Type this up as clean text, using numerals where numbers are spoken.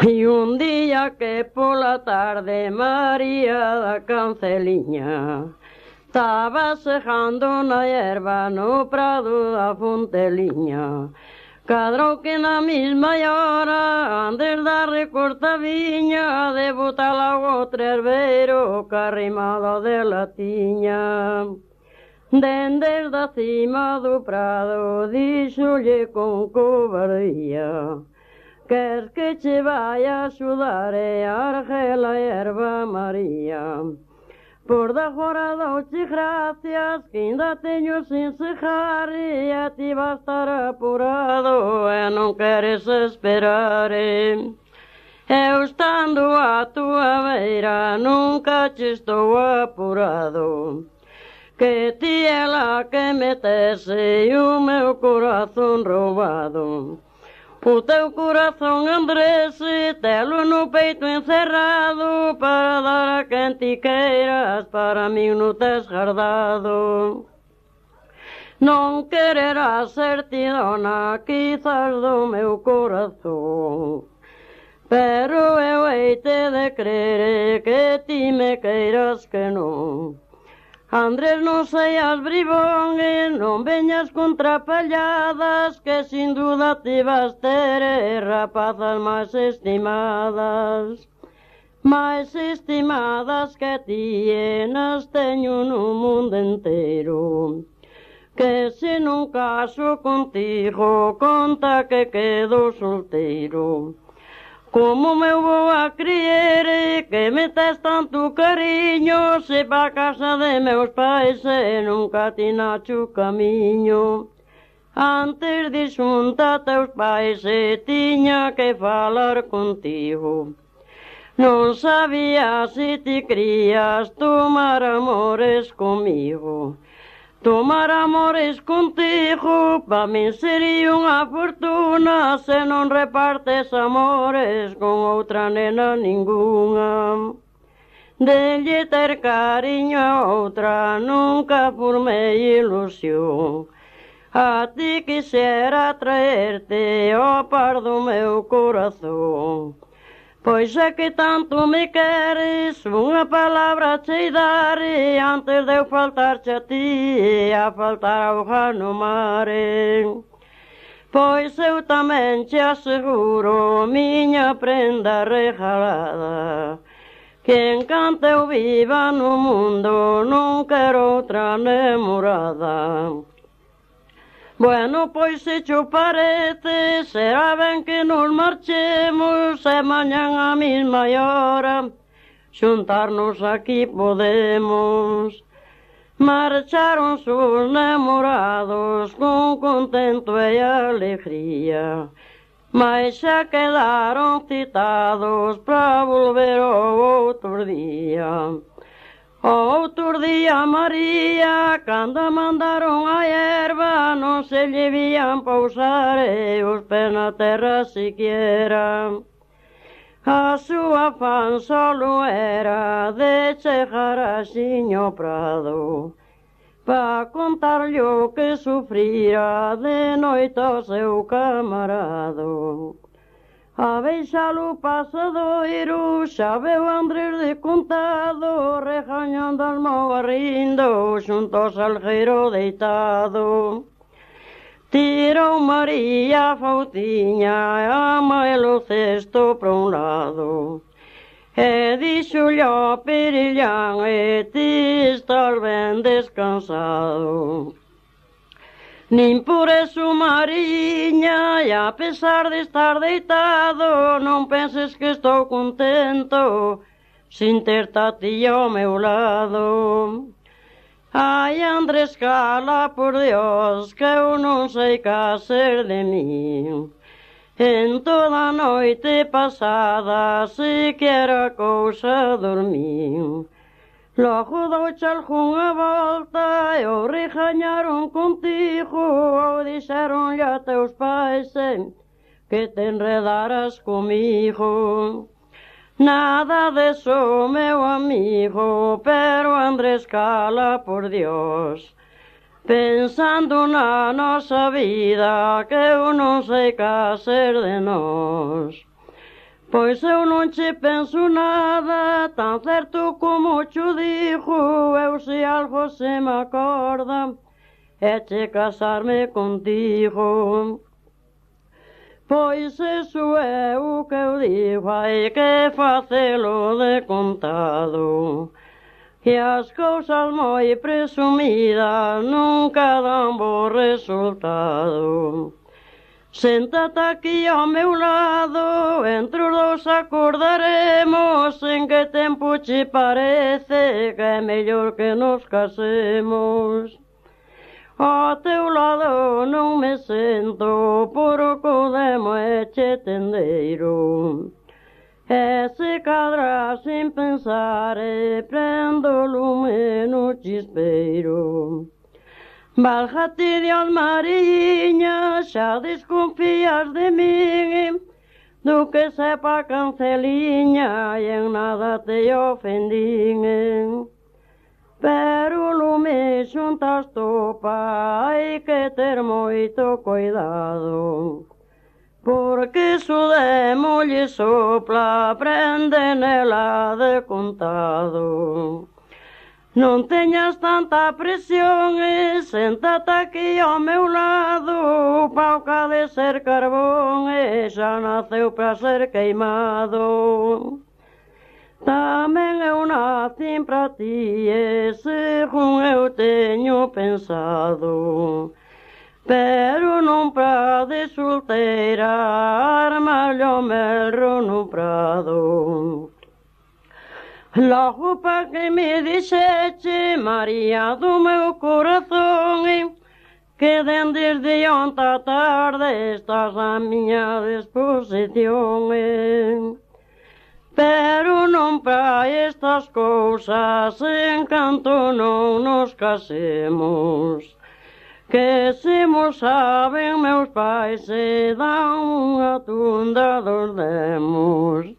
Y un día que por la tarde María da Canceliña estaba sejando na hierba no prado da Fonteliña. Cadrou que na mesma hora, antes da recorta viña, de botar ao herbeiro, que arrimado de la tiña. Dende da cima do prado, díxolle con cobardía: queres que che vai a axudar e argela a erva María? Por da fora douche gracias, que ainda teño sin cejar, e a ti va estar apurado e non queres esperar. Eu estando a tua beira nunca che estou apurado, que ti é la que me tese o meu corazón roubado. O teu corazón, Andrés, telo no peito encerrado, para dar a quen ti queiras, para mí non tes guardado. Non quererás ser ti dona, quizás do meu corazón, pero eu heite de crer que ti me queiras que non. Andrés, non seas bribón e non veñas con trapalladas, que sin duda ti vas ter rapazas máis estimadas que ti, nas teño no mundo inteiro. Que se non caso contigo, conta que quedo solteiro. Como me vou a crier que me tes tanto cariño, se pa casa de meus pais e nunca ti nacho camiño? Antes de xunta teus pais tiña que falar contigo. Non sabía se ti crías tomar amores comigo. Tomar amores contigo pa min sería unha fortuna, se non repartes amores con outra nena ningunha. Delle ter cariño a outra nunca formei ilusión. A ti quixera traerte ao par do meu corazón. Pois é que tanto me queres, unha palabra chei dar, antes de eu faltarche a ti, a faltar auga no mar. Pois eu tamén che aseguro, miña prenda regalada, que encanto eu viva no mundo, non quero outra namorada. Bueno, pois se cho parece, será ben que nos marchemos, e mañán a mesma hora xuntarnos aquí podemos. Marcharon os namorados con contento e alegría, mas xa quedaron citados para volver o outro día. Outro día María, cando mandaron a erva, non se lle vían pousar os pés na terra siquiera. A súa fan solo era de chegar a xiño prado, pa contarlle o que sufrira de noite ao seu camarado. A beixalo pasadoiro xa veu Andrés de contado, regañando as mãos rindo xunto ao salgueiro deitado. Tirou María a fautiña e a maelo cesto para un lado, e dixolle ao Perillán: ti estás ben descansado. Nin por eso, Mariña, e a pesar de estar deitado, non penses que estou contento sin ter-te a ti ao meu lado. Ai, Andrés, cala, por Dios, que eu non sei ca ser de min. En toda a noite pasada, sequera cousa dormín. Logo douche algunha volta e o regañaron contigo, ou dixeronlle a teus pais que te enredaras comigo. Nada deso, meu amigo, pero Andrés, cala, por Dios, pensando na nosa vida, que eu non sei ca ser de nós. Pois eu non che penso nada, tan certo como cho dixo, eu se algo se me acorda, é che casarme contigo. Pois iso é o que eu digo, hai que facelo de contado, que as cousas moi presumidas nunca dan bo resultado. Séntate aquí ao meu lado, entre os dous acordaremos en que tempo che parece que é mellor que nos casemos. Ao teu lado non me sento, por o codemo e che tendeiro. E se cadra sin pensar e prendo o lume no chispeiro. Válgate Dios, Mariña, xa desconfías de min, do que sepa Canceliña, e en nada te ofendín. Pero o lume xuntas topa, hai que ter moito cuidado, porque iso de molle sopla, prende nela de contado. Non teñas tanta presión e séntate aquí ao meu lado, pauca de ser carbón e xa naceu para ser queimado. Tamén eu nacín para ti e según eu teño pensado, pero non para de solteira, armallo merro no prado. Logo pa que me dixeche, María do meu corazón, que dende de onte a tarde estás a miña disposición. Pero non para estas cousas, en canto non nos casemos, que se mo saben meus pais se dan unha tunda dos demos.